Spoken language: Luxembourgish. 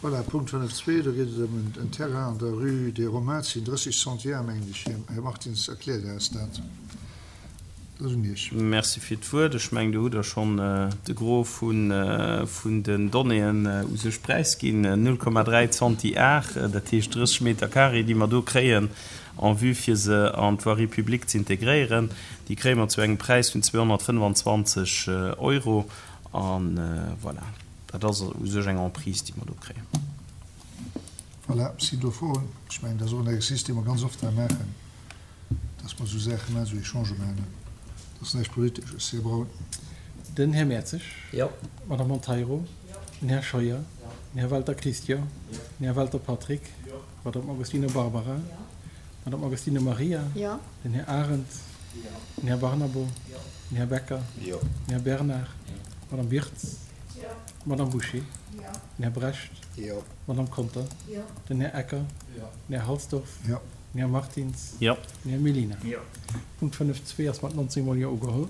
Voilà, Punkt 5.2, do geet et ëm en Terrain an der Rue des Romains, 30 Centiares, mengen ech. Här Martins, erkläert eis dat. Dat ass un Iech. Merci fir d'Wuert. Ech mengen, do hutt Der schonn de Gros vun den Donnéeën u sech präisginn. 0,3 Centiare, dat heescht 30 Meter carré, déi mer do kréien en vue fir se an d'Voirie publique z'integréieren, déi kréie mer zu engem Präis vun 225 Euro. A voilà, dat ass u sech eng Emprise, déi mer do kréien. Voilà, sinn do Froen? Ech mengen, dat ass och en Exercice, dee mer ganz oft hei maachen, dass mer esou Saache maachen, esou Echangë maachen. Dat ass näischt Politesches, Här Braun. Den Här Mertzig. Jo. D'Madame Monteiro. Den Här Scheuer. Den Här Welter Christian. Den Här Welter Patrick. D'Madame Agostino Barbara. D'Madame Agostino Maria. Den Här Arendt. Den Här Barnabo. Den Här Becker. Den Här Bernard. D'Madame Wirtz. D'Madame Bouché. Den Här Brecht. D'Madame Conter. Den Här Ecker. Den Här Halsdorf. Den Här Martins. Den Här Mellina. Punkt 5.2 ass mat 19 mol Jo ugeholl.